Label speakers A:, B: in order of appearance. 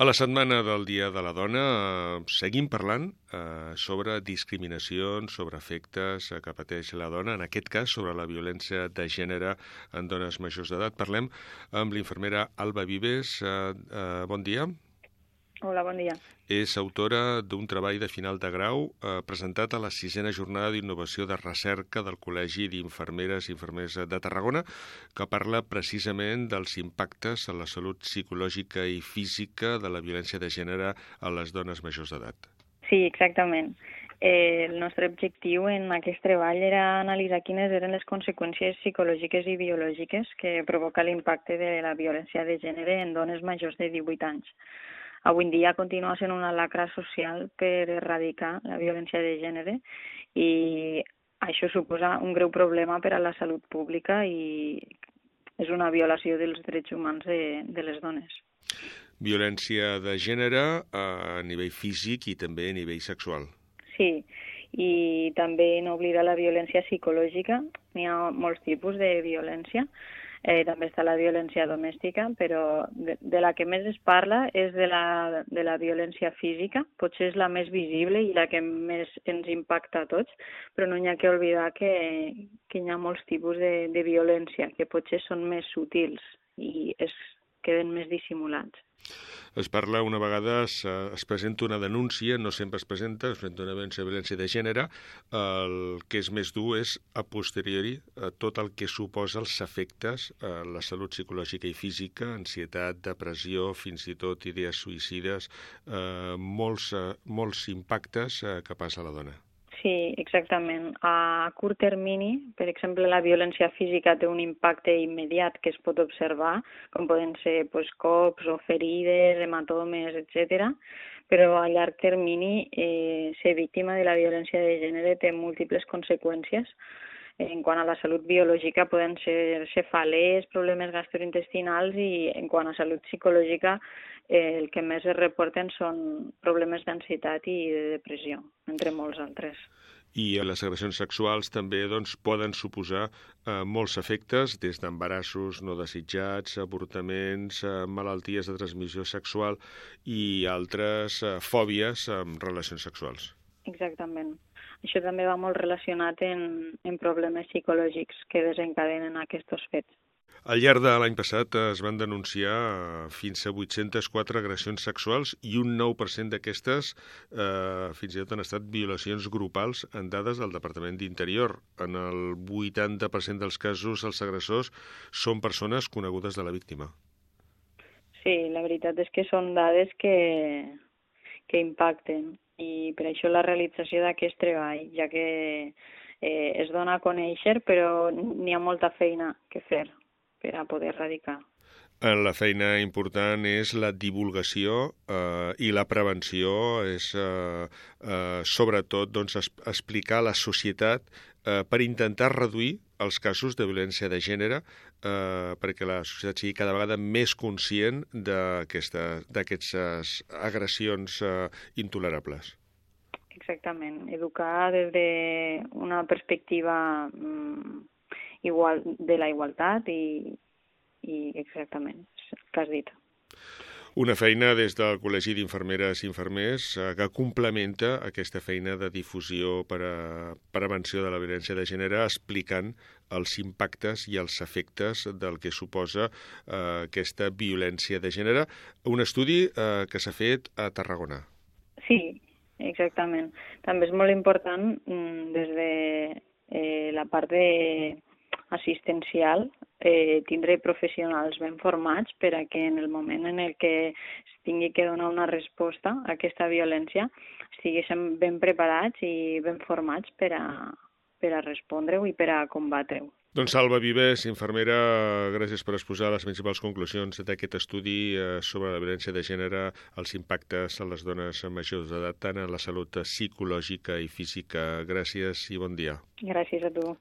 A: A la setmana del Dia de la Dona seguim parlant sobre discriminacions, sobre efectes que pateix la dona, en aquest cas sobre la violència de gènere en dones majors d'edat. Parlem amb l'infermera Alba Vives. Bon dia.
B: Hola, bon dia.
A: És autora d'un treball de final de grau presentat a la 6a Jornada d'Innovació de Recerca del Col·legi d'Infermeres i Infermers de Tarragona, que parla precisament dels impactes en la salut psicològica i física de la violència de gènere a les dones majors d'edat.
B: Sí, exactament. El nostre objectiu en aquest treball era analitzar quines eren les conseqüències psicològiques i biològiques que provoca l'impacte de la violència de gènere en dones majors de 18 anys. Avui en dia continua sent una lacra social per erradicar la violència de gènere i això suposa un greu problema per a la salut pública i és una violació dels drets humans de les dones.
A: Violència de gènere a nivell físic i també a nivell sexual.
B: Sí, i també no oblidar la violència psicològica. N'hi ha molts tipus de violència. També està la violència domèstica, però de la que més es parla és de la violència física. Potser és la més visible i la que més ens impacta a tots, però no hi ha que oblidar que hi ha molts tipus de violència que potser són més sutils i queden més dissimulats.
A: Es parla una vegada, es presenta una denúncia, no sempre es presenta una violència de gènere. El que és més dur és, a posteriori, tot el que suposa els efectes a la salut psicològica i física, ansietat, depressió, fins i tot idees suïcides, molts impactes que passa a la dona.
B: Sí, exactament. A curt termini, per exemple, la violència física té un impacte immediat que es pot observar, com poden ser cops o ferides, hematomes, etc. Però a llarg termini ser víctima de la violència de gènere té múltiples conseqüències. En quant a la salut biològica poden ser cefalees, problemes gastrointestinals i en quant a salut psicològica el que més es reporten són problemes d'ansietat i de depressió, entre molts altres.
A: I les agressions sexuals també poden suposar molts efectes, des d'embarassos no desitjats, avortaments, malalties de transmissió sexual i altres fòbies amb relacions sexuals.
B: Exactament. Això també va molt relacionat en problemes psicològics que desencadenen aquests fets.
A: Al llarg de l'any passat es van denunciar fins a 804 agressions sexuals i un 9% d'aquestes fins i tot han estat violacions grupals en dades del Departament d'Interior. En el 80% dels casos els agressors són persones conegudes de la víctima.
B: Sí, la veritat és que són dades que impacten i per això la realització d'aquest treball, ja que es dona a conèixer però n'hi ha molta feina que fer per a poder erradicar.
A: La feina important és la divulgació i la prevenció, és sobretot explicar a la societat per intentar reduir els casos de violència de gènere perquè la societat sigui cada vegada més conscient d'aquestes agressions intolerables.
B: Exactament. Educar des d'una perspectiva de la igualtat i exactament, el que has dit.
A: Una feina des del Col·legi d'Infermeres i Infermers que complementa aquesta feina de difusió per a prevenció de la violència de gènere, explicant els impactes i els efectes del que suposa aquesta violència de gènere. Un estudi que s'ha fet a Tarragona.
B: Sí, exactament. També és molt important des de la part assistencial tindre professionals ben formats per a que en el moment en el que es tingui que donar una resposta a aquesta violència estiguéssim ben preparats i ben formats per a respondre-ho i per a combatre-ho.
A: Doncs Alba Vives, infermera, gràcies per exposar les principals conclusions d'aquest estudi sobre la violència de gènere, els impactes a les dones majors d'edat, tant en la salut psicològica i física. Gràcies i bon dia.
B: Gràcies a tu.